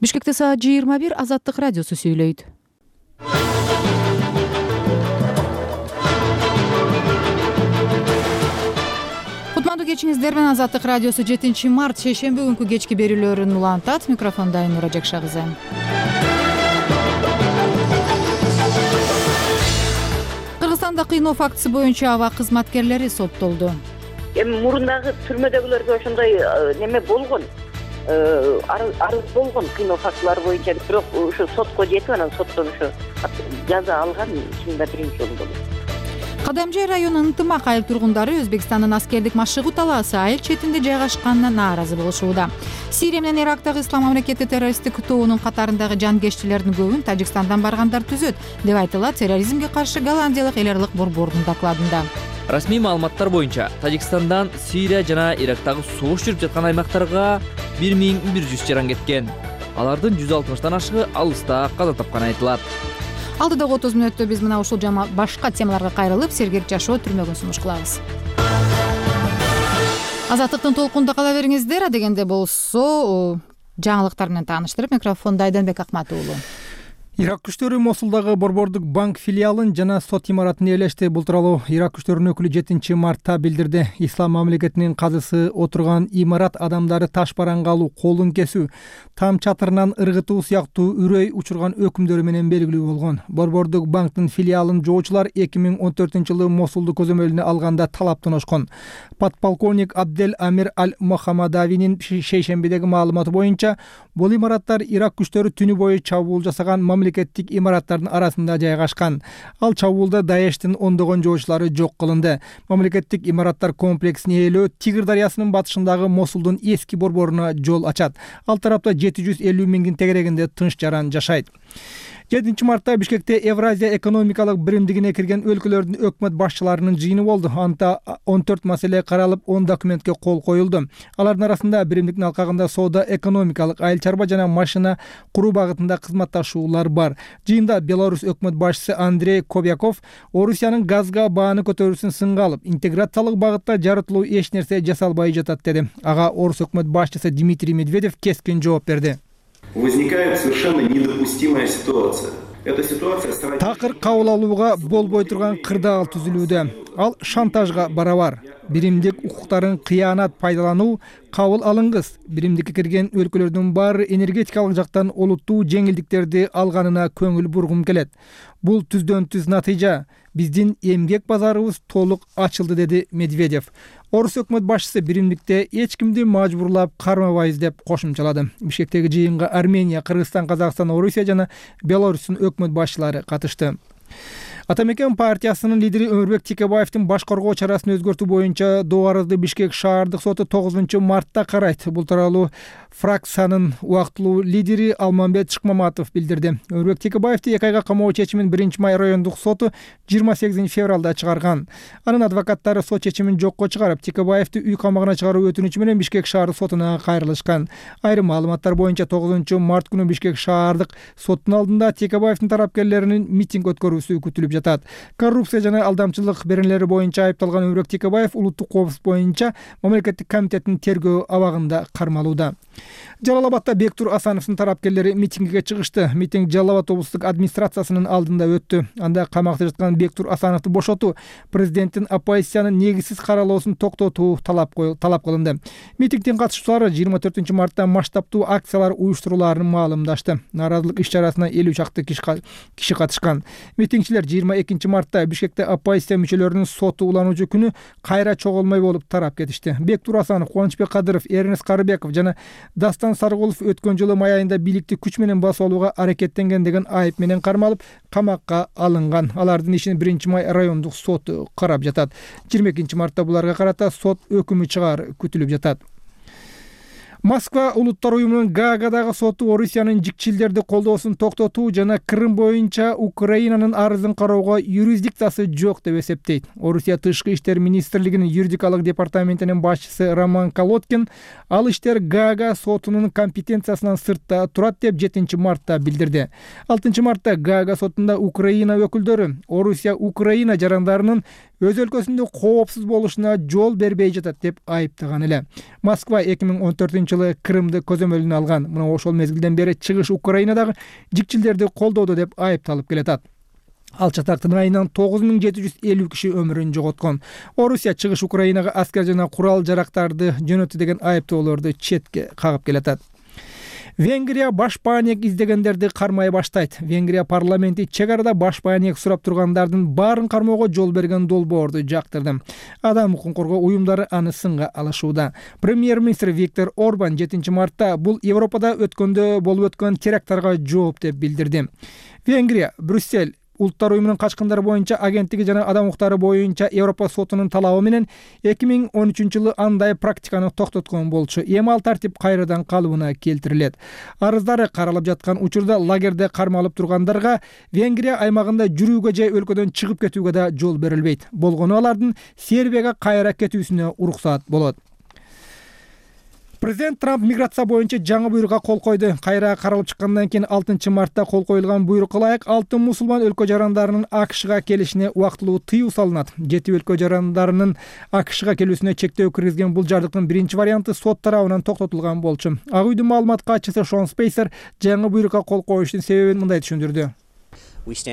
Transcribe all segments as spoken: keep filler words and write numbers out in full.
Бишкекте саат жыйырма бир. Азаттык радиосу сүйлөйт. Кутмандуу кечиңиздер менен Азаттык радиосу жетинчи март шейшемби күнкү кечки берүүлөрүн улантат. Микрофонда Айнура Жакша кызы. Кыргызстанда кыйноо фактысы боюнча аба кызматкерлери соттолду. Эми мурундагы түрмөдөгүлөргө ошондой неме болгон, арыз болгон кыйноо фактылары боюнча, бирок ошо сотко жетип, анан соттон ошо жаза алган чынында биринчи жолу болот. Кадамжай районунун ынтымак айыл тургундары Өзбекстандын аскердик машыгуу талаасы айыл четинде жайгашканына нааразы болушууда. Сирия менен Ирактагы Ислам мамлекети террористтик тоонун катарындагы жангеччилердин көбүн Тажикстандан баргандар түзөт, деп айтылат терроризмге каршы голландиялык эл аралык борбордун докладында. Расмий маалыматтар боюнча Тажикстандан Сирия жана Ирактагы согуш жүрүп жаткан аймактарга бир миң бир жүз жаран кеткен. Алардын жүз алтымыштан ашыгы алыста каза тапканы айтылат. Алдыдагы отуз мүнөттө биз мына ушул жана башка темаларга кайрылып, сергек жашоо түрмөгүн сунуш кылабыз. Азаттыктын толкунда кала бериңиздер. Адегенде болсо жаңылыктар менен тааныштырып, микрофонда Айданбек Акмат уулу. Ирак күчтөрү Мосулдагы борбордук банк филиалын жана сот имаратын ээлешти. Бул тууралуу Ирак күчтөрүнүн өкүлү жетинчи мартта билдирди. Ислам мамлекетинин казысы отурган имарат адамдары таш бараңга алуу, колун кесүү, там чатырынан ыргытуу сыяктуу үрөй учурган өкүмдөрү менен белгилүү болгон. Борбордук банктын филиалын жоочулар эки миң он төртүнчү жылы Мосулду көзөмөлүнө алганда талаптан ошкон. Подполковник Абдел Амир Аль-Мохаммадавинин шейшембидеги маалыматы боюнча, бул имараттар Ирак күчтөрү түнү бою чабуул жасаган мамлекеттик имараттардын арасында жайгашкан. Ал чабуулда Даештин ондогон жоочулары жок кылынды. Мамлекеттик имараттар комплексин ээлөө Тигр дарыясынын батышындагы Мосулдун эски борборуна жол ачат. Ал тарапта жети жүз элүү миңдин тегерегинде тынч жаран жашайт. жетинчи мартта Бишкекте Евразия экономикалык биримдигине кирген өлкөлөрдүн өкмөт башчыларынын жыйыны болду. Анда он төрт маселе каралып, он документке кол коюлду. Алардын арасында биримдиктин алкагында соода, экономикалык, айыл чарба жана машина куруу багытында кызматташуулар бар. Жыйында Беларусь өкмөт башчысы Андрей Кобяков Орусиянын газга бааны көтөрүүсүн сынга алып, интеграциялык багытта жарытылуу эч нерсе жасалбай жатат деди. Ага Орус өкмөт башчысы Дмитрий Медведев кескин жооп берди. Возникает совершенно недопустимая ситуация. Эта ситуация сродни... Такыр кабыл алууга болбой турган кырдаал түзүлүүдө. Ал шантажга барабар. Биримдик укуктарын кыянат пайдалануу, кабыл алыңыз. Биримдикке кирген өлкөлөрдүн баары энергетикалык жактан олуттуу жеңилдиктерди алганына көңүл бургум келет. Бул түздөн түз натыйжа. Биздин эмгек базарыбыз толук ачылды, деди Медведев. Орус өкмөт башчысы биримдикте эч кимди мажбурлап кармабайбыз деп кошумчалады. Бишкектеги жыйынга Армения, Кыргызстан, Казакстан, Орусия жана Беларустун өкмөт башчылары катышты. Атамекен партиясынын лидери Өмүрбек Текебаевдин баш коргоо чарасын өзгөртүү боюнча доо арызды Бишкек шаардык соту тогузунчу мартта карайт. Бул тууралуу фракциянын убактылуу лидери Алмамбет Шыкмаматов билдирди. Өмүрбек Текебаевди эки айга камоо чечимин биринчи май райондук соту жыйырма сегизинчи февралда чыгарган. Анын адвокаттары сот чечимин жокко чыгарып, Текебаевди үй камагына чыгаруу өтүнүчү менен Бишкек шаардык сотуна кайрылышкан. Айрым маалыматтар боюнча тогузунчу март күнү Бишкек шаардык соттун алдында Текебаевдин тарапкерлеринин митинг өткөрүүсү күтүлүп жатат. Коррупция жана алдамчылык беренелери боюнча айыпталган Өмүрбек Текебаев улуттук коопсуздук боюнча мамлекеттик комитеттин тергөө абагында кармалууда. Жалал Абадта Бектур Асановдун тарапкерлери митингге чыгышты. Митинг Жалал Абад облустук администрациясынын алдында өттү. Анда камакта жаткан Бектур Асановду бошотуу, президенттин оппозициянын негизсиз каралоосун токтотуу талап талап кылынды. Митингдин катышуучулары жыйырма төртүнчү мартта масштабтуу акциялар уюштурулаарын маалымдашты. Нааразылык иш-чарасына элүү чакты киши катышкан. Митингчилер жыйырма экинчи мартта Бишкекте оппозиция мүчөлөрүнүн соту улануучу күнү кайра чогулмай болуп тарап кетишти. Бектур Асанов, Кубанычбек Кадыров, Эрнест Карыбеков жана Дастан Сарыгулов өткөн жылы май айында бийликти күч менен басып алууга аракеттенген деген айып менен кармалып, камакка алынган. Алардын ишин биринчи май райондук соту карап жатат. жыйырма экинчи мартта буларга карата сот өкүмү чыгаар күтүлүп жатат. Москва улуттар уюмунун Гаагадагы соту Орусиянын жикчилдерди колдоосун токтотуу жана Крым боюнча Украинанын арызын кароого юрисдикциясы жок деп эсептейт. Орусия тышкы иштер министрлигинин юридикалык департаментинин башчысы Роман Колодкин ал иштер Гаага сотунун компетенциясынан сыртта турат деп жетинчи мартта билдирди. алтынчы мартта Гаага сотунда Украина өкүлдөрү Орусия Украина жарандарынын өз өлкөсүндө коопсуз болушуна жол бербей жатат деп айыптаган эле. Москва эки миң он төртүнчү жылы Крымды көзөмөлүнө алган. Мына ошол мезгилден бери чыгыш Украинадагы жикчилдерди колдоодо деп айыпталып келатат. Ал чатактын айынан тогуз миң жети жүз элүү киши өмүрүн жоготкон. Орусия чыгыш Украинага аскер жана курал жарактарды жөнөттү деген айыптоолорду четке кагып келатат. Венгрия баш баанек издегендерди кармай баштайт. Венгрия парламенти чек арада баш баанек сурап тургандардын баарын кармоого жол берген долбоорду жактырды. Адам укугун коргоо уюмдары аны сынга алышууда. Премьер-министр Виктор Орбан жетинчи мартта бул Европада өткөндө болуп өткөн теракттарга жооп деп билдирди. Венгрия, Брюссель Улуттар уюмунун качкындар боюнча агенттиги жана адам укуктары боюнча Европа сотунун талабы менен эки миң он үчүнчү жылы андай практиканы токтоткон болчу. Эми ал тартип кайрадан калыбына келтирилет. Арыздары каралып жаткан учурда лагерде кармалып тургандарга Венгрия аймагында жүрүүгө же өлкөдөн чыгып кетүүгө да жол берилбейт. Болгону алардын Сербияга кайра кетүүсүнө уруксат болот. Президент Трамп миграция боюнча жаңы буйрукка кол койду. Кайра каралып чыккандан кийин алтынчы мартта кол коюлган буйрукка ылайык алтын мусулман өлкө жарандарынын АКШга келишине убактылуу тыюу салынат. Жети өлкө жарандарынын АКШга келүүсүнө чектөө киргизген бул жардыктын биринчи варианты сот тарабынан токтотулган болчу. Ак үйдүн маалымат катчысы Шон Спейсер жаңы буйрукка кол коюштун себебин мындай түшүндүрдү. Биз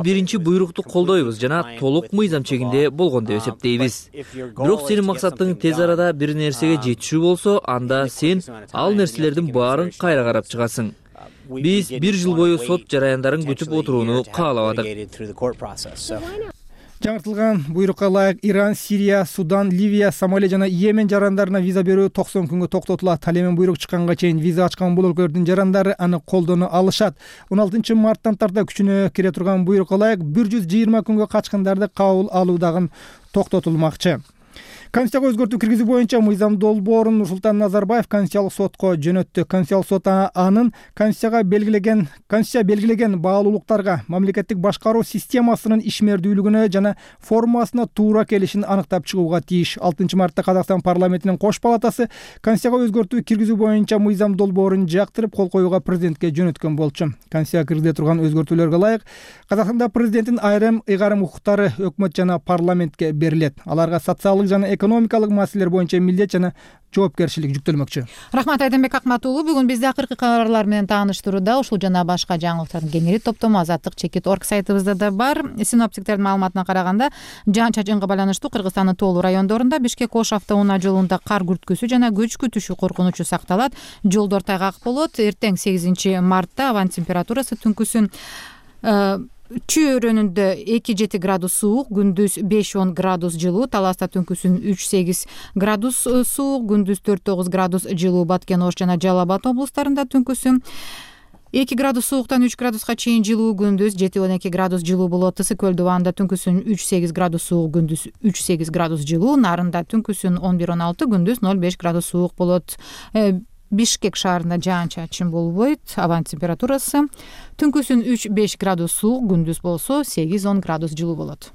биринчи буйрукту колдойбуз жана толук мыйзам чегинде болгон деп эсептейбиз. Бирок сенин максатың тез арада бир нерсеге жетишүү болсо, анда сен ал нерселердин баарын кайра карап чыгасың. Биз бир жыл бою сот жараяндарын күтүп отурууну каалабадык. Жаңыртылган буйрукка ылайык Иран, Сирия, Судан, Ливия, Сомали жана Йемен жарандарына виза берүү токсон күнгө токтотулат. Ал эми буйрук чыкканга чейин виза ачкан бул өлкөлөрдүн жарандары аны колдоно алышат. он алтынчы марттан тарта күчүнө кире турган буйрукка ылайык бир жүз жыйырма күнгө качкындарды кабыл алуу дагы токтотулмакчы. Конституцияга өзгөртүү киргизүү боюнча мыйзам долбоорун Нурсултан Назарбаев Конституциялык сотко жөнөттү. Конституциялык сот анын Конституцияга белгилеген Конституция белгилеген баалуулуктарга, мамлекеттик башкаруу системасынын ишмердүүлүгүнө жана формасына туура келишин аныктап чыгууга тийиш. алтынчы мартта Казакстан парламентинин кош палатасы Конституцияга өзгөртүү киргизүү боюнча мыйзам долбоорун жактырып кол коюуга президентке жөнөткөн болчу. Конституцияга киргизиле турган өзгөртүүлөргө ылайык Казакстанда президенттин айрым ыйгарым укуктары өкмөт жана парламентке берилет. Аларга социалдык жана экономикалык маселелер боюнча милдет жана жоопкерчилик жүктөлмөкчү. Рахмат Айденбек Акматуулу. Бүгүн бизди акыркы кабарлар менен тааныштырууда ушул жана башка жаңылыктардын кеңири топтому азаттык чекит точка орг сайтыбызда да бар. Синоптиктердин маалыматына караганда жаан-чачынга байланыштуу Кыргызстандын тоолуу райондорунда Бишкек Ош автоунаа жолунда кар күрткүсү жана көчкү түшүү коркунучу сакталат. Жолдор тайгак болот. Эртең сегизинчи мартта аба температурасы түнкүсүн чөйрөнүндө эки жети градус суук, күндүз беш он градус жылуу, Таласта түнкүсүн үч сегиз градус суук, күндүз төрт тогуз градус жылуу, Баткен Ош жана Жалал Абад облустарында түнкүсүн эки градус сууктан үч градуска чейин жылуу, күндүз жети он эки градус жылуу болот. Ысык Көл дубанында түнкүсүн үч сегиз градус суук, күндүз үч сегиз градус жылуу, Нарында түнкүсүн он бир он алты, күндүз ноль беш градус суук болот. Бишкек шаарында жаан-чачын болбойт. Аба температурасы түнкүсүн үч беш градус суук, күндүз болсо сегиз он градус жылуу болот.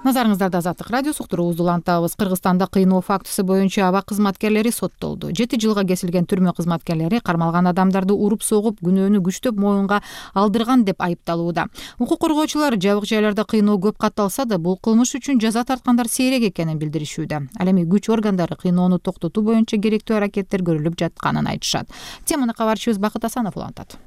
Назарыңыздарда Азаттык радиосу уктуруубузду улантабыз. Кыргызстанда кыйноо фактысы боюнча аба кызматкерлери соттолду. жети жылга кесилген түрмө кызматкерлери кармалган адамдарды уруп согуп, күнөөнү күчтөп моюнга алдырган деп айыпталууда. Укук коргоочулар жабык жайларда кыйноо көп катталса да, бул кылмыш үчүн жаза тарткандар сейрек экенин билдиришүүдө. Ал эми күч органдары кыйноону токтотуу боюнча керектүү аракеттер көрүлүп жатканын айтышат. Теманы кабарчыбыз Бакыт Асанов улантат.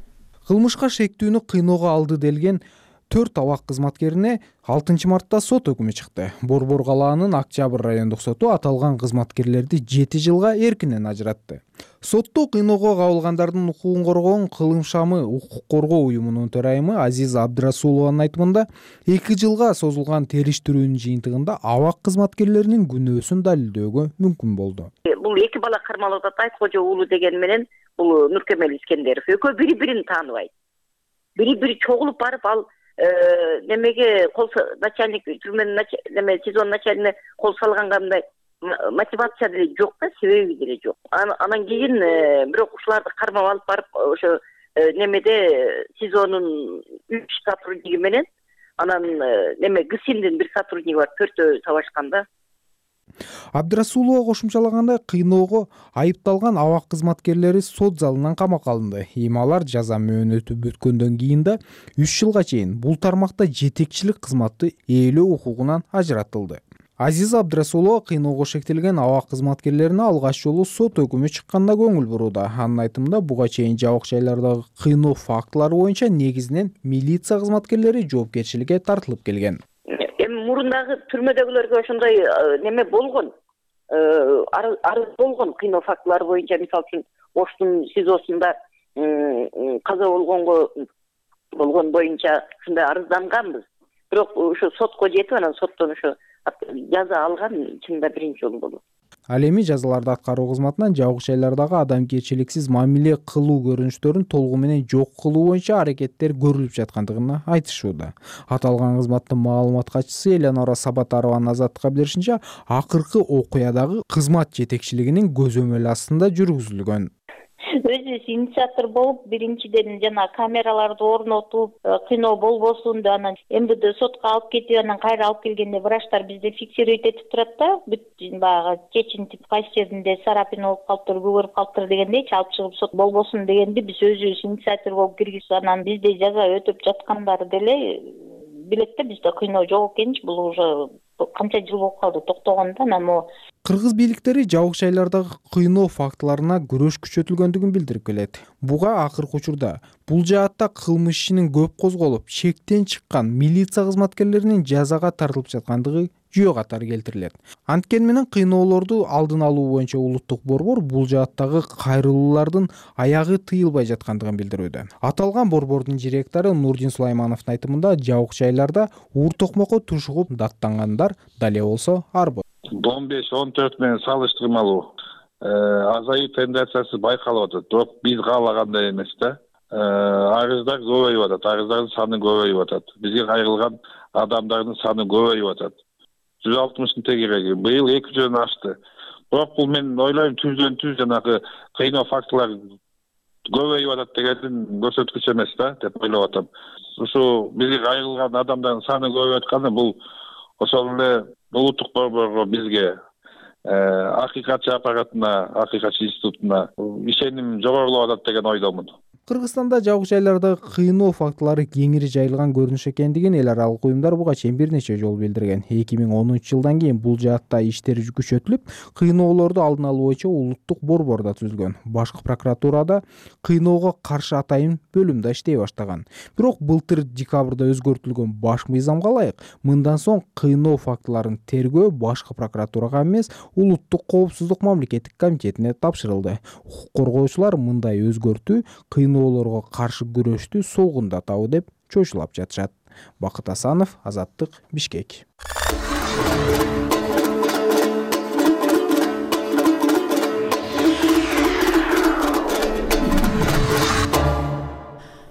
Кылмышка шектүүнү кыйноого алды делген төрт абак кызматкерине алтынчы мартта сот өкүмү чыкты. Борбор калаанын Октябрь райондук соту аталган кызматкерлерди жети жылга эркинен ажыратты. Сотто кыйноого кабылгандардын укугун коргоон Кылым шамы укук коргоо уюмунун төрайымы Азиза Абдрасулованын айтымында эки жылга созулган териштирүүнүн жыйынтыгында абак кызматкерлеринин күнөөсүн далилдөөгө мүмкүн болду. Бул эки бала кармалып атат, Айткожо уулу деген менен бул Нуркемел Искендеров. Экөө бири-бирин тааныбайт. Бири-бири чогулуп барып ал немеге кол начальник түрмөнүн неме сезон начальнине кол салганга мындай мотивация деле жок да, себеби деле жок. Анан кийин бирок ушуларды кармап алып барып ошо немеде сезонун үч сотрудниги менен анан неме ГСИМдин бир сотрудниги бар, төртөө табашкан да. Абдрасулова кошумчалагандай, кыйноого айыпталган абак кызматкерлери сот залынан камакка алынды. Эми алар жаза мөөнөтү бүткөндөн кийин да үч жылга чейин бул тармакта жетекчилик кызматты ээлөө укугунан ажыратылды. Азиза Абдрасулова кыйноого шектелген абак кызматкерлерине алгач жолу сот өкүмү чыкканда көңүл бурууда. Анын айтымында, буга чейин жабык жайлардагы кыйноо фактылары боюнча негизинен милиция кызматкерлери жоопкерчиликке тартылып келген. Эми мурундагы түрмөдөгүлөргө ошондой неме болгон, арыз болгон кыйноо фактылары боюнча, мисалы үчүн Оштун СИЗОсунда каза болгонго болгон боюнча ушундай арызданганбыз. Бирок ушу сотко жетип, анан соттон ушу жаза алган чынында биринчи жолу болот. Ал эми жазаларды аткаруу кызматынан жабык жайлардагы адамгерчиликсиз мамиле кылуу көрүнүштөрүн толугу менен жок кылуу боюнча аракеттер көрүлүп жаткандыгын айтышууда. Аталган кызматтын маалымат катчысы Элеонора Сабатарованын Азаттыкка беришинче, акыркы окуядагы кызмат жетекчилигинин көзөмөл астында жүргүзүлгөн. Өзүбүз инициатор болуп, биринчиден жана камераларды орнотуп, кыйноо болбосун, анан МВД сотко алып кетип, анан кайра алып келгенде врачтар бизде фиксировать этип турат да, бүт баягы чечинтип кайсы жеринде царапина болуп калыптыр, көгөрүп калыптыр дегендейчи алып чыгып сот болбосун дегенди биз өзүбүз инициатор болуп киргизип, анан бизде жаза өтөп жаткандар деле билет да, бизде кыйноо жок экенчи, бул уже канча жыл болуп калды токтогондо. Анан могу кыргыз бийликтери жабык жайлардагы кыйноо фактыларына күрөш күчөтүлгөндүгүн билдирип келет. Буга акыркы учурда бул жаатта кылмыш ишинин көп козголуп, шектен чыккан милиция кызматкерлеринин жазага тартылып жаткандыгы жүйө катары келтирилет. Анткени менен кыйноолорду алдын алуу боюнча улуттук борбор бул жааттагы кайрылуулардын аягы тыйылбай жаткандыгын билдирүүдө. Аталган борбордун директору Нурдин Сулаймановдун айтымында, жабык жайларда уур токмокко тушугуп даттангандар дале болсо арбы. он беш он төрт менен салыштырмалуу азайуу тенденциясы байкалып атат. Бирок биз каалагандай эмес да. Арыздар көбөйүп атат, арыздардын саны көбөйүп атат. Бизге кайрылган адамдардын саны көбөйүп атат. жүз алтымыштын тегереги быйыл эки жүздөн ашты. Бирок бул мен ойлойм түздөн түз жанагы кыйноо фактылар көбөйүп атат дегендин көрсөткүчү эмес да деп ойлоп атам. Ушу бизге кайрылган адамдардын саны көбөйүп атканы бул ошол эле улуттук борборго, бизге, акыйкатчы аппаратына, акыйкатчы институтуна ишеним жогорулап атат деген ойдомун. Кыргызстанда жабык жайлардагы кыйноо фактылары кеңири жайылган көрүнүш экендигин эл аралык уюмдар буга чейин бир нече жолу билдирген. эки миң онунчу жылдан кийин бул жаатта иштер күчөтүлүп, кыйноолорду алдын алуу боюнча улуттук борбор да түзүлгөн. Башкы прокуратурада кыйноого каршы атайын бөлүм да иштей баштаган. Бирок былтыр декабрда өзгөртүлгөн баш мыйзамга ылайык мындан соң кыйноо фактыларын тергөө башкы прокуратурага эмес, улуттук коопсуздук мамлекеттик комитетине тапшырылды. Укук коргоочулар мындай өзгөртүү кыйноолорго каршы күрөштү солгундатабы деп чочулап жатышат. Бакыт Асанов, Азаттык, Бишкек.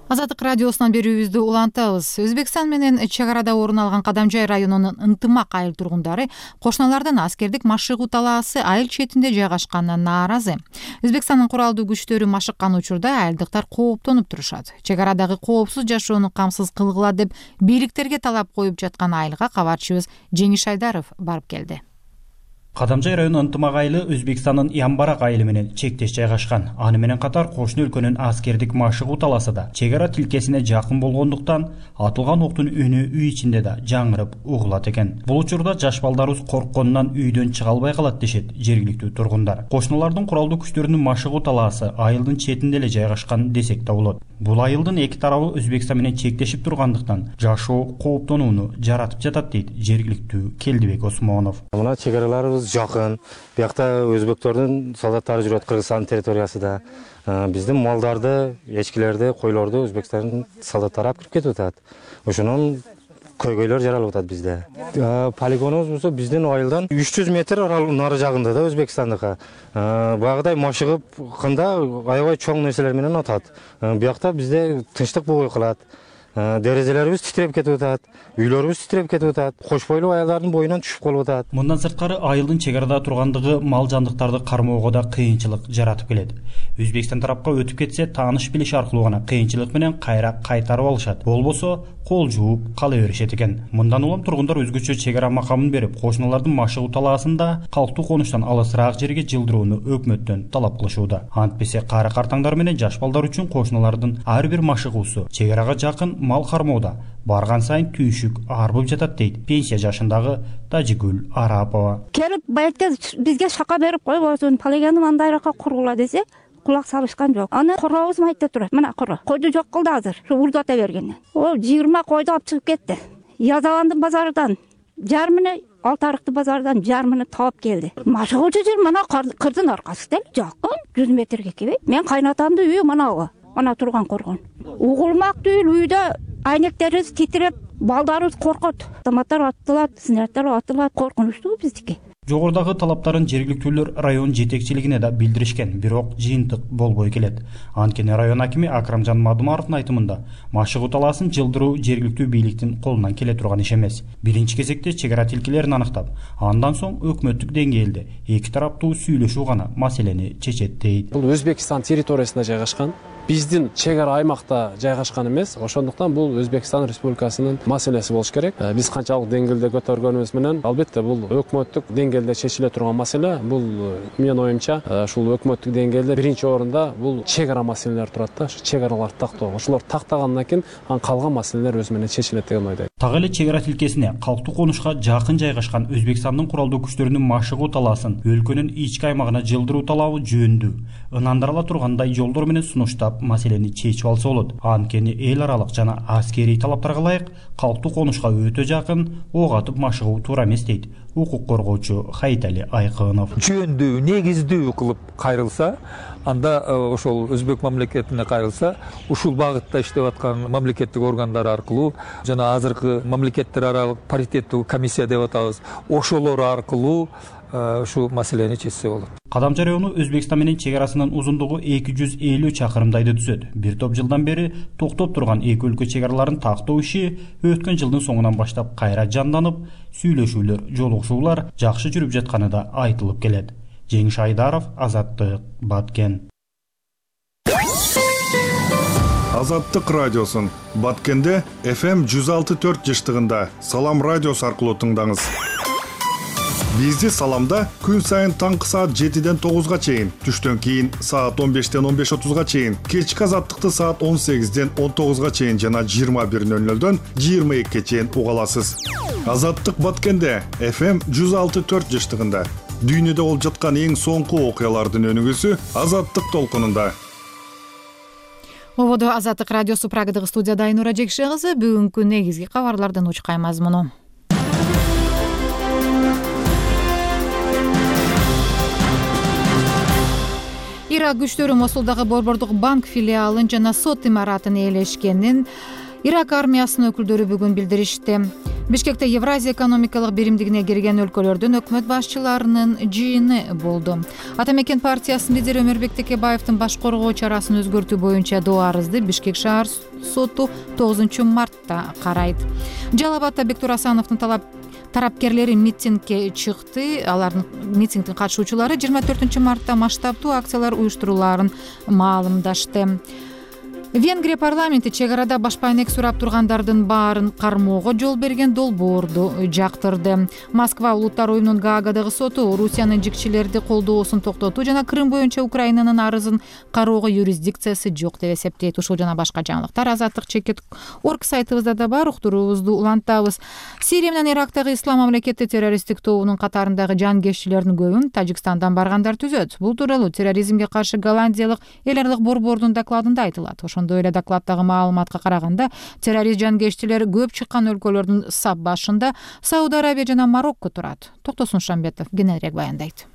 Азаттык радиосунан берүүбүздү улантабыз. Өзбекстан менен чек арада орун алган Кадамжай районунун Ынтымак айыл тургундары кошуналардын аскердик машыгуу талаасы айыл четинде жайгашканына нааразы. Өзбекстандын куралдуу күчтөрү машыккан учурда айылдыктар кооптонуп турушат. Чек арадагы коопсуз жашоону камсыз кылгыла деп бийликтерге талап коюп жаткан айылга кабарчыбыз Жеңиш Айдаров барып келди. Кадамжай району Ынтымак айылы Өзбекстандын Ямбарак айылы менен чектеш жайгашкан. Аны менен катар кошуна өлкөнүн аскердик машыгуу талаасы да чек ара тилкесине жакын болгондуктан атылган октун үнү үй ичинде да жаңырып угулат экен. Бул учурда жаш балдарыбыз коркконунан үйдөн чыга албай калат дешет жергиликтүү тургундар. Кошуналардын куралдуу күчтөрүнүн машыгуу талаасы айылдын четинде эле жайгашкан десек да болот. Бул айылдын эки тарабы Өзбекстан менен чектешип тургандыктан жашоо кооптонууну жаратып жатат дейт жергиликтүү Келдибек Осмонов. Мына чек араларыбыз жакын. Биякта өзбектердин солдаттары жүрөт Кыргызстан территориясында. Биздин малдарды, эчкилерди, койлорду Өзбекстандын солдаттары алып кирип кетип атат. Ошонун көйгөйлөр жаралып атат бизде. Полигонубуз болсо биздин айылдан үч жүз метр нары жагында да Өзбекстандыкка. Багыдай машыгып кында аябай чоң нерселер менен атат. Биякта бизде тынчтык болбой калат. дерезелерибиз титиреп кетип атат, үйлөрүбүз титиреп кетип атат, кош бойлуу аялдардын боюнан түшүп калып атат. Мындан сырткары айылдын чек арада тургандыгы мал жандыктарды кармоого да кыйынчылык жаратып келет. Өзбекстан тарапка өтүп кетсе, тааныш билиш аркылуу гана кыйынчылык менен кайра кайтарып алышат. Болбосо кол жууп кала беришет экен. Мындан улам тургундар өзгөчө чек ара макамын берип, кошуналардын машыгуу талаасында калктуу конуштан алысыраак жерге жылдырууну өкмөттөн талап кылышууда. Антпесе кары картаңдар менен жаш балдар үчүн кошуналардын ар бир машыгуусу чек арага жакын мал кармоодо барган сайын түйшүк арбып жатат дейт пенсия жашындагы Тажигүл Арапова. Келип байыртта бизге шака берип койбосун, полигону мындайрака кургула десе, кулак салышкан жок. Аны корообуз майда турат. Мына коро. Койду жок кылды азыр. Урдата бергенде. Ол жыйырма койду алып чыгып кетти. Язаландын базардан жарымыны, Алтарыкты базардан жарымыны таап келди. Машыгуучу жер мына кырдын аркасы деле жакын жүз метрге келбейт. Мен кайнатамдын үйү мына ана турган коргон. Угулмак түгүл үйдө айнектерибиз титиреп, балдарыбыз коркот. Автоматтар аттылат, снарядтар аттылат, коркунучтуу биздики. Жогорудагы талаптарын жергиликтүүлөр район жетекчилигине да билдиришкен, бирок жыйынтык болбой келет. Анткени район акими Акрамжан Мадумаровдун айтымында, машыгуу талаасын жылдыруу жергиликтүү бийликтин колунан келе турган иш эмес. Биринчи кезекте чек ара тилкелерин аныктап, андан соң өкмөттүк деңгээлде эки тараптуу сүйлөшүү гана маселени чечет дейт. Бул Өзбекстан территориясында жайгашкан. Биздин чек ара аймакта жайгашкан эмес. Ошондуктан бул Өзбекстан Республикасынын маселеси болуш керек. Биз канчалык деңгээлде көтөргөнүбүз менен, албетте бул өкмөттүк деңгээлде чечиле турган маселе. Бул менин оюмча, ушул өкмөттүк деңгээлде биринчи орунда бул чек ара маселелери турат да. Чек араларды тактоо. Ошолор тактагандан кийин анан калган маселелер өзү менен чечилет деген ойдойм. Так эле чек ара тилкесине калктуу конушка жакын жайгашкан Өзбекстандын куралдуу күчтөрүнүн машыгуу талаасын өлкөнүн ички аймагына жылдыруу талабы жөнүндүү ынандырыла тургандай жолдор менен сунуштап маселени чечип алса болот. Анткени эл аралык жана аскерий талаптарга ылайык калктуу конушка өтө жакын ок атып машыгуу туура эмес дейт укук коргоочу Хайитали Айкынов. Жөндүү, негиздүү кылып кайрылса, анда ошол өзбек мамлекетине кайрылса, ушул багытта иштеп аткан мамлекеттик органдар аркылуу жана азыркы мамлекеттер аралык паритеттүү комиссия деп атабыз, ошолор аркылуу ушул маселени чечсе болот. Кадамча району Өзбекстан менен чек арасынын узундугу эки жүз элүү чакырымдайды түзөт. Бир топ жылдан бери токтоп турган эки өлкө чек араларын тактоо иши өткөн жылдын соңунан баштап кайра жанданып, сүйлөшүүлөр, жолугушуулар жакшы жүрүп жатканы да айтылып келет. Жеңиш Айдаров, Азаттык, Баткен. Азаттык радиосун Баткенде эф эм жүз алты төрт жыштыгында Салам радиосу аркылуу тыңдаңыз. Бизди Саламда күн сайын таңкы саат жетиден тогузга чейин, түштөн кийин саат он бештен он беш отузга чейин, кечки Азаттыкты саат он сегизден он тогузга чейин жана жыйырма бир нөл нөлдөн жыйырма экиге чейин уга аласыз. Азаттык Баткенде эф эм жүз алты төрт жыштыгында дүйнөдө болуп жаткан эң соңку окуялардын өнүгүүсү Азаттык толкунунда. Ободо Азаттык радиосу Прагадагы студияда Айнура Жекше кызы, бүгүнкү негизги кабарлардын учкай мазмуну. Ирак күчтөрү Мосулдагы Борбордук банк филиалын жана сот имаратын ээлешкенин Ирак армиясынын өкүлдөрү бүгүн билдиришти. Бишкекте Евразия экономикалык биримдигине кирген өлкөлөрдүн өкмөт башчыларынын жыйыны болду. Ата мекен партиясынын лидери Өмүрбек Текебаевдин баш коргоо чарасын өзгөртүү боюнча доо арызды Бишкек шаар соту тогузунчу мартта карайт. Жалал-Абадта Бектур Асановдун талап тарапкерлери митингге чыкты. Алардын митингдин катышуучулары жыйырма төртүнчү мартта масштабдуу акциялар уюштурулаарын маалымдашты. Венгрия парламенти чек арада башпа айнек сурап тургандардын баарын кармоого жол берген долбоорду жактырды. Москва улуттар уюмунун Гаагадагы соту Орусиянын жикчилерди колдоосун токтотуу жана Крым боюнча Украинанын арызын кароого юрисдикциясы жок деп эсептейт. Ушул жана башка жаңылыктар Азаттык чекет орг сайтыбызда да бар, уктуруубузду улантабыз. Сирия менен Ирактагы Ислам мамлекети террористтик тобунун катарындагы жангерчилердин көбүн Тажикстандан баргандар түзөт. Бул тууралуу терроризмге каршы Голландиялык эл аралык борбордун докладында айтылат. Ошондой эле докладдагы маалыматка караганда, террорист жангерчилер көп чыккан өлкөлөрдүн сап башында Сауд Арабия жана Марокко турат. Токтосун Шамбетов кененирээк баяндайт.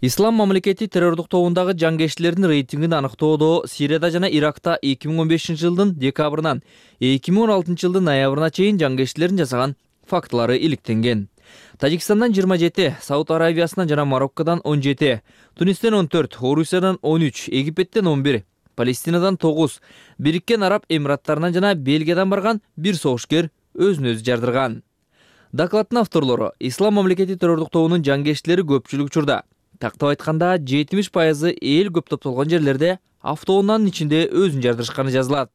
Ислам мамлекети террордук тобундагы жангерчилердин рейтингин аныктоодо Сирияда жана Иракта эки миң он бешинчи жылдын декабрынан эки миң он алтынчы жылдын ноябрына чейин жангерчилердин жасаган фактылары иликтенген. Тажикстандан жыйырма жети, Сауд Арабиясынан жана Мароккодон он жети, Тунистен он төрт, Орусиядан он үч, Египеттен он бир, Палестинадан тогуз, Бириккен Араб Эмираттарынан жана Бельгиядан барган бир согушкер өзүн өзү жардырган. Докладдын авторлору Ислам мамлекети террордук тобунун жангерчилери көпчүлүк учурда, тактап айтканда жетимиш пайызы эл көп топтолгон жерлерде автоунаанын ичинде өзүн жардырышканы жазылат.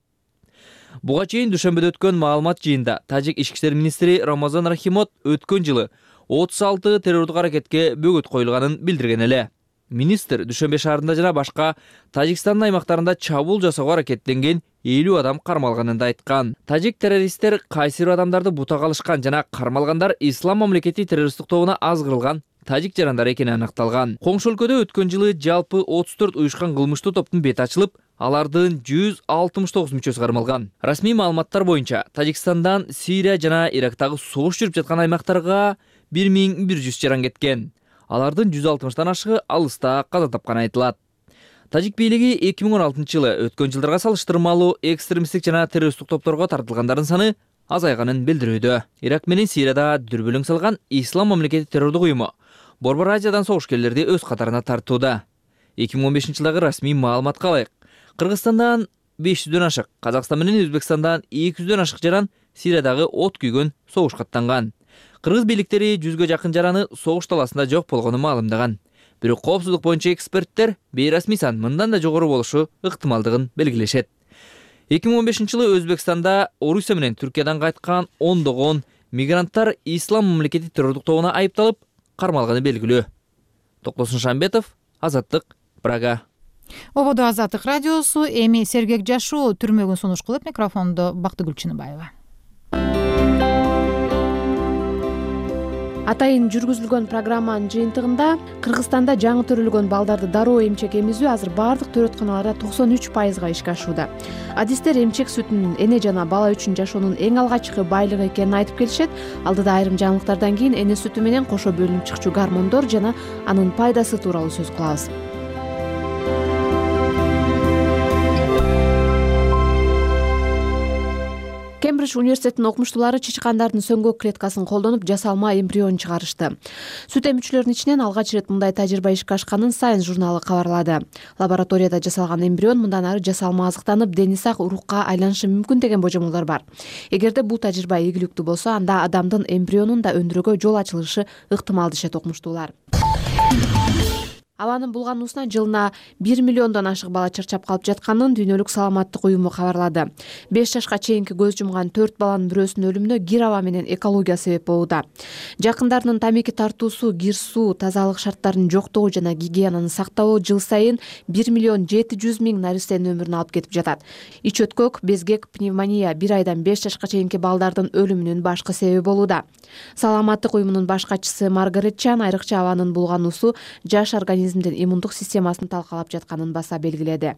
Буга чейин дүйшөмбөдө өткөн маалымат жыйында Тажик ички иштер министри Рамазан Рахимов өткөн жылы отуз алты террордук аракетке бөгөт коюлганын билдирген эле. Министр Дүйшөмбө шаарында жана башка Тажикстандын аймактарында чабуул жасоого аракеттенген элүү адам кармалганын да айткан. Тажик террористтер кайсыр адамдарды бутага алышкан жана кармалгандар Ислам мамлекети террористтик тобуна азгырылган тажик жарандары экени аныкталган. Коңшу өлкөдө өткөн жылы жалпы отуз төрт уюшкан кылмыштуу топтун бети ачылып, алардын жүз алтымыш тогуз мүчөсү кармалган. Расмий маалыматтар боюнча Тажикстандан Сирия жана Ирактагы согуш жүрүп жаткан аймактарга бир миң бир жүз жаран кеткен. Алардын жүз алтымыштан ашыгы алыста каза тапканы айтылат. Тажик бийлиги эки миң он алтынчы жылы өткөн жылдарга салыштырмалуу экстремисттик жана террористтик топторго тартылгандардын саны азайганын билдирүүдө. Ирак менен Сирияда дүрбөлөң салган Ислам мамлекети террордук уюму Борбор Азиядан согушкерлерди өз катарына тартууда. эки миң он бешинчи жылдагы расмий маалыматка ылайык, Кыргызстандан беш жүздөн ашык, Казакстан менен Өзбекстандан эки жүздөн ашык жаран Сириядагы от күйгөн согушка аттанган. Кыргыз бийликтери жүзгө жакын жараны согуш таласында жок болгонун маалымдаган. Бирок коопсуздук боюнча эксперттер бейрасмий сан мындан да жогору болушу ыктымалдыгын белгилешет. эки миң он бешинчи жылы Өзбекстанда Орусия менен Түркиядан кайткан ондогон мигранттар Ислам мамлекети террордук тобуна айыпталып кармалганы белгилүү. Токтосун Шамбетов, Азаттык, Прага. Ободо Азаттык радиосу, эми сергек жашоо түрмөгүн сунуш кылып, микрофондо Бактыгүл Чыныбаева. Атайын жүргүзүлгөн программанын жыйынтыгында Кыргызстанда жаңы төрөлгөн балдарды дароо эмчек эмизүү азыр бардык төрөтканаларда токсон үч пайызга ишке ашууда. Адистер эмчек сүтүнүн эне жана бала үчүн жашоонун эң алгачкы байлыгы экенин айтып келишет. Алдыда айрым жаңылыктардан кийин эне сүтү менен кошо бөлүнүп чыкчу гормондор жана анын пайдасы тууралуу сөз кылабыз. Кембридж университетинин окумуштуулары чычкандардын сөңгөк клеткасын колдонуп жасалма эмбрион чыгарышты. Сүт эмүүчүлөрдүн ичинен алгач ирет мындай тажрыйба ишке ашканын Science журналы кабарлады. Лабораторияда жасалган эмбрион мындан ары жасалма азыктанып, дени сак урукка айланышы мүмкүн деген божомолдор бар. Эгерде бул тажрыйба ийгиликтүү болсо, анда адамдын эмбрионун да өндүрүүгө жол ачылышы ыктымал дешет окумуштуулар. Абанын булгануусунан жылына бир миллиондон ашык бала чарчап калып жатканын Дүйнөлүк саламаттык уюму кабарлады. беш жашка чейинки көз жумган төрт баланын бирөөсүнүн өлүмүнө кир аба менен экология себеп болууда. Жакындарынын тамеки тартуусу, кир суу, тазалык шарттарынын жоктугу жана гигиенаны сактабоо жыл сайын бир миллион жети жүз миң наристенин өмүрүн алып кетип жатат. Ич өткөк, безгек, пневмония бир айдан беш жашка чейинки балдардын өлүмүнүн башкы себеби болууда. Саламаттык уюмунун баш катчысы Маргарет Чан айрыкча абанын булгануусу жаш организм иммундук системасын талкалап жатканын баса белгиледи.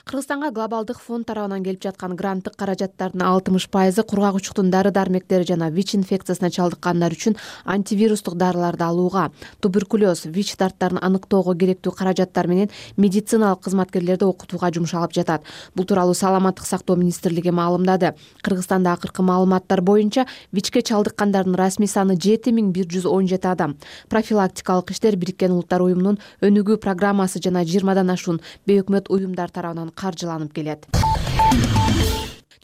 Кыргызстанга глобалдык фонд тарабынан келип жаткан гранттык каражаттардын алтымыш пайызы кургак учуктун дары-дармектери жана ВИЧ инфекциясына чалдыккандар үчүн антивирустук дарыларды алууга, туберкулез, ВИЧ дарттарын аныктоого керектүү каражаттар менен медициналык кызматкерлерди окутууга жумшалып жатат. Бул тууралуу Саламаттык сактоо министрлиги маалымдады. Кыргызстанда акыркы маалыматтар боюнча ВИЧке чалдыккандардын расмий саны жети миң бир жүз он жети адам. Профилактикалык иштер Бириккен Улуттар уюмунун өнүгүү программасы жана жыйырмадан ашуун бейөкмөт уюмдар тарабынан каржыланып келет.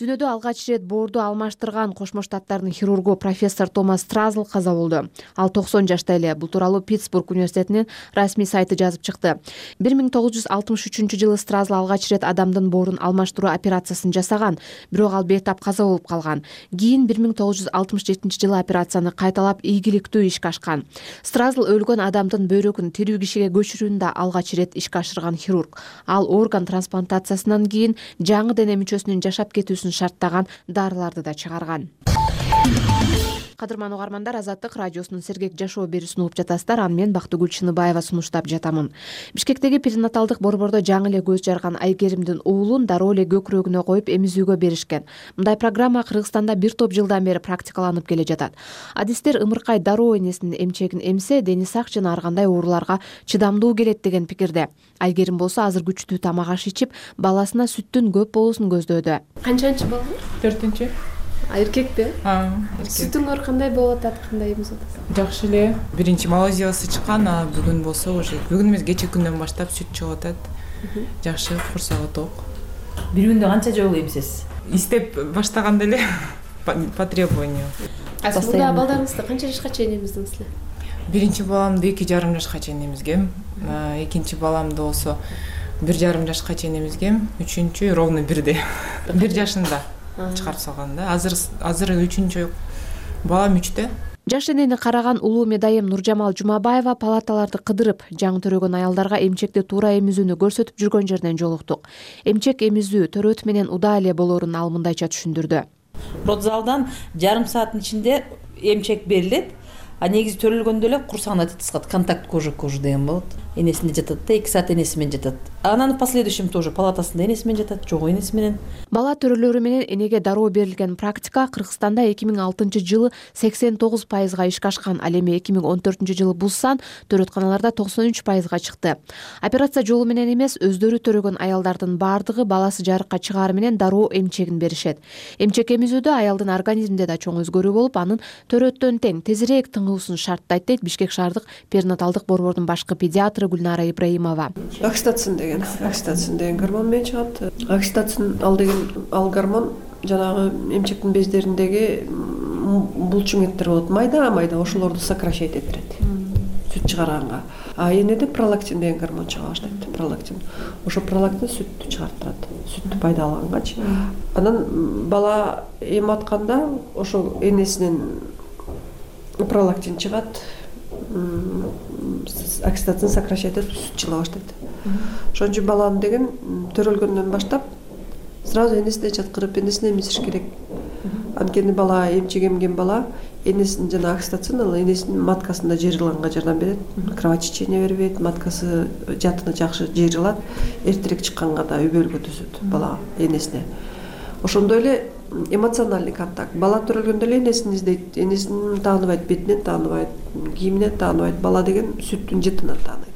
Дүйнөдө алгач ирет боорду алмаштырган Кошмо Штаттардын хирургу профессор Томас Стразл каза болду. Ал токсон жашта эле. Бул тууралуу Питтсбург университетинин расмий сайты жазып чыкты. бир миң тогуз жүз алтымыш үчүнчү жылы Стразл алгач ирет адамдын боорун алмаштыруу операциясын жасаган, бирок ал бейтап каза болуп калган. Кийин бир миң тогуз жүз алтымыш жетинчи жылы операцияны кайталап ийгиликтүү ишке ашкан. Стразл өлгөн адамдын бөйрөгүн тирүү кишиге көчүрүүнү да алгач ирет ишке ашырган хирург. Ал орган трансплантациясынан кийин жаңы дене мүчөсүнүн жашап кетүүсүн шарттаган дарыларды да чыгарган. Кадырман угармандар, Азаттык радиосунун сергек жашоо берүүсүн угуп жатасыздар. Аны мен Бактыгүл Чыныбаева сунуштап жатамын. Бишкектеги перинаталдык борбордо жаңы эле көз жарган Айгеримдин уулун дароо эле көкүрөгүнө коюп эмизүүгө беришкен. Мындай программа Кыргызстанда бир топ жылдан бери практикаланып келе жатат. Адистер ымыркай дароо энесинин эмчегин эмсе, дени сак жана ар кандай ооруларга чыдамдуу келет деген пикирде. Айгерим болсо азыр күчтүү тамак аш ичип, баласына сүттүн көп болуусун көздөдү. Канчанчы балаңыз? төртүнчү. Эркекпи? Сүтүңөр кандай болуп атат, кандай эмиз атат? Жакшы эле. Биринчи Малайзиясы чыккан, а бүгүн болсо уже бүгүн эмес, кечээ күндөн баштап сүт чыгып атат. жакшы, курсагы ток. Бир күндө канча жолу эмизесиз? Истеп баштаганда эле по требованию. А сиз мында балдарыңызды канча жашка чейин эмиздиңиз эле? Биринчи баламды эки жарым жашка чейин эмизгем. Экинчи баламды болсо бир жарым жашка чейин эмизгем. Үчүнчү ровно бирде. Бир жашында чыгарып салган да. Азыр азыр үчүнчү балам үчтө. Жаш энени караган улуу медайым Нуржамал Жумабаева палаталарды кыдырып, жаңы төрөгөн аялдарга эмчекти туура эмизүүнү көрсөтүп жүргөн жеринен жолуктук. Эмчек эмизүү төрөт менен удаа эле болоорун ал мындайча түшүндүрдү. Родзалдан жарым сааттын ичинде эмчек берилет. А негизи төрөлгөндө эле курсагына тыскат, контакт кожа к коже деген болот. Энесинде жатат да, эки саат энеси менен жатат. Анан в последующем тоже палатасында энеси менен жатат, жок энеси менен. Бала төрөлөрү менен энеге дароо берилген практика Кыргызстанда эки миң алтынчы жылы сексен тогуз пайызга ишке ашкан, ал эми эки миң он төртүнчү жылы бул сан төрөтканаларда токсон үч пайызга чыкты. Операция жолу менен эмес, өздөрү төрөгөн аялдардын баардыгы баласы жарыкка чыгаары менен дароо эмчегин беришет. Эмчек эмизүүдө аялдын организминде да чоң өзгөрүү болуп, анын төрөттөн тең тезирээк тыңуусун шарттайт дейт Бишкек шаардык перинаталдык борбордун башкы педиатры Гүлнара Ибраимова. Окситоцин деген, окситоцин деген гормон менен чыгат. Окситоцин ал деген ал гормон жанагы эмчектин бездериндеги булчуңеттер болот, майда-майда, ошолорду сокращать этирет. Сүт чыгарганга. А энеде пролактин деген гормон чыга баштайт. Пролактин. Ошо пролактин сүттү чыгарттырат. Сүттү пайдаланганчы. Анан бала эм атканда ошо энесинен пролактин чыгат, окситоцин сокращать этип сүт чыга баштайт. Ошон үчүн баланы деген төрөлгөндөн баштап сразу энесине жаткырып, энесине эмизиш керек. Анткени бала эмчек эмген бала энесинин жана окситоцин ал энесинин маткасында жыйрылганга жардам берет. Кровотечение бербейт, маткасы жатыны жакшы жыйрылат, эртерээк чыкканга да үбөлгө түзөт бала энесине. Ошондой эле эмоциональный контакт. Бала төрөлгөндө эле энесин издейт, энесин тааныбайт, бетинен тааныбайт, кийиминен тааныбайт. Бала деген сүттүн жытынан тааныйт.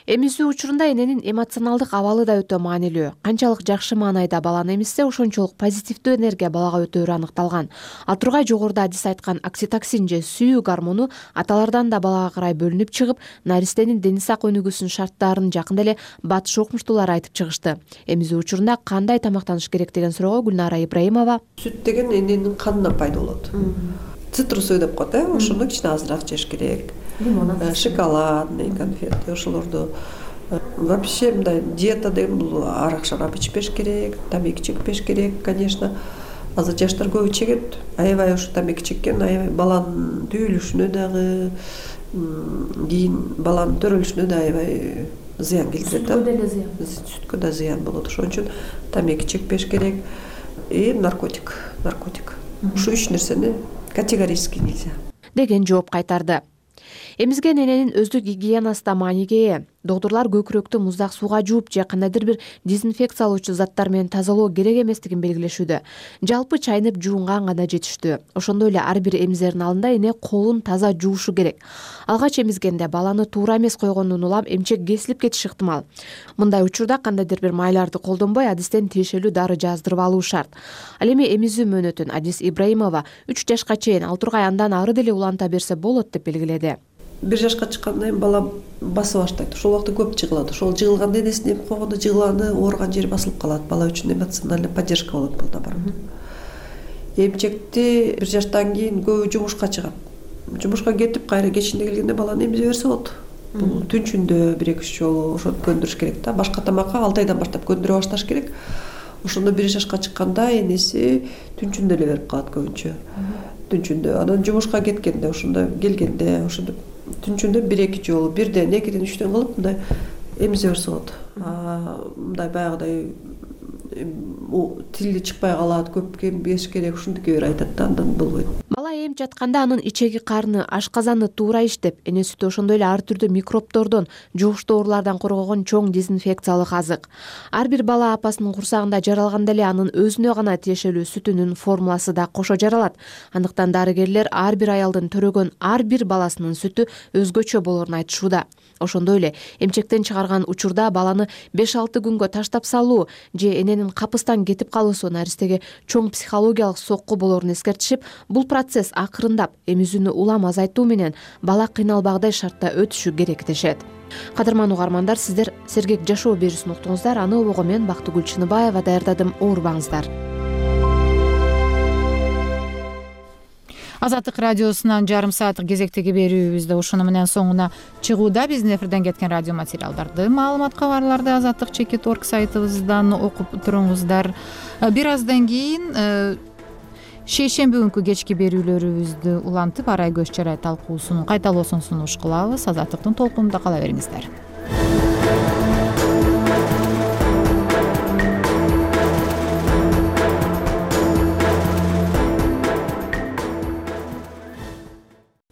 Эмизүү учурунда эненин эмоционалдык абалы да өтө маанилүү. Канчалык жакшы маанайда баланы эмизсе, ошончолук позитивдүү энергия балага өтөөрү аныкталган. Ал тургай жогоруда адис айткан окситоцин же сүйүү гормону аталардан да балага карай бөлүнүп чыгып, наристенин дени сак өнүгүүсүнүн шарттарын жакында эле батыш окумуштуулар айтып чыгышты. Эмизүү учурунда кандай тамактаныш керек деген суроого Гүлнара Ибраимова: Сүт деген эненин канынан пайда болот. Цитрус деп коет, э, ошону кичине азыраак жеш керек. Шоколадный конфеты, ошолорду вообще мындай диета деген бул арак шарап ичпеш керек, тамеки чекпеш керек, конечно. Азыр жаштар көбү чегет. Аябай ошо тамеки чеккен, аябай баланын түйүлүшүнө дагы, кийин баланын төрөлүшүнө да аябай зыян келтирет. Сүткө деле зыян. Сүткө да зыян болот. Ошон үчүн тамеки чекпеш керек. И наркотик, наркотик. Ушу үч нерсени категорически нельзя деген жооп кайтарды. Эмизген эненин өздүк гигиенасы да мааниге ээ. Доктурлар көкүрөктү муздак сууга жууп же кандайдыр бир дезинфекциялоочу заттар менен тазалоо керек эместигин белгилешүүдө. Жалпы чайнып жуунган гана жетиштүү. Ошондой эле ар бир эмизердин алдында эне колун таза жуушу керек. Алгач эмизгенде баланы туура эмес койгондон улам эмчек кесилип кетиши ыктымал. Мындай учурда кандайдыр бир майларды колдонбой адистен тиешелүү дары жаздырып алуу шарт. Ал эми эмизүү мөөнөтүн Адис Ибраимова үч жашка чейин, ал тургай андан ары деле уланта берсе болот деп белгиледи. Бир жашка чыккандан кийин бала баса баштайт. Ошол убакта көп жыгылат. Ошол жыгылганда энесине эми койгондо жыгылганы, ооруган жери басылып калат. Бала үчүн эмоциональный поддержка болот бул наоборот. Эмчекти бир жаштан кийин көбү жумушка чыгат. Жумушка кетип, кайра кечинде келгенде баланы эмизе берсе болот. Бул түнчүндө бир эки үч жолу ошону көндүрүш керек да. Башка тамакка алты айдан баштап көндүрө башташ керек. Ошондо бир жашка чыкканда энеси түнчүндө эле берип калат көбүнчө. Түнчүндө. Анан жумушка кеткенде, ошондо келгенде, ошондо түнчүндө бир эки жолу, бирден, экиден, үчтөн кылып мындай эмизе берсе болот. Мындай баягыдай тили чыкпай калат, көп кембеш керек, ушундуке бир айтат да, андан болбойт. Бала эм жатканда анын ичеги карны, ашказаны туура иштеп, эне сүтү ошондой эле ар түрдүү микробтордон, жугуштуу оорулардан коргогон чоң дезинфекциялык азык. Ар бир бала апасынын курсагында жаралганда эле анын өзүнө гана тиешелүү сүтүнүн формуласы да кошо жаралат. Андыктан дарыгерлер ар бир аялдын төрөгөн ар бир баласынын сүтү өзгөчө болоорун айтышууда. Ошондой эле эмчектен чыгарган учурда баланы беш алты күнгө таштап салуу же эненин капыстан кетип калуусу наристеге чоң психологиялык сокку болоорун эскертишип, бул процесс акырындап эмизүүнү улам азайтуу менен бала кыйналбагдай шартта өтүшү керек дешет. Кадырман угармандар, сиздер Сергек жашоо берүүсүн уктуңуздар. Аны обого мен Бактыгүл Чыныбаева даярдадым. Оорубаңыздар. Азаттык радиосунан жарым сааттык кезектеги берүүбүздө ушуну менен соңуна чыгууда. Биздин эфирден кеткен радио материалдарды, маалымат кабарларды азаттык чекит точка орг сайтыбыздан окуп туруңуздар. Бир аздан кийин шейшемби күнкү кечки берүүлөрүбүздү улантып, Арай Көз Чарай талкуусунун кайталоосун сунуш кылабыз. Азаттыктын толкунунда кала бериңиздер.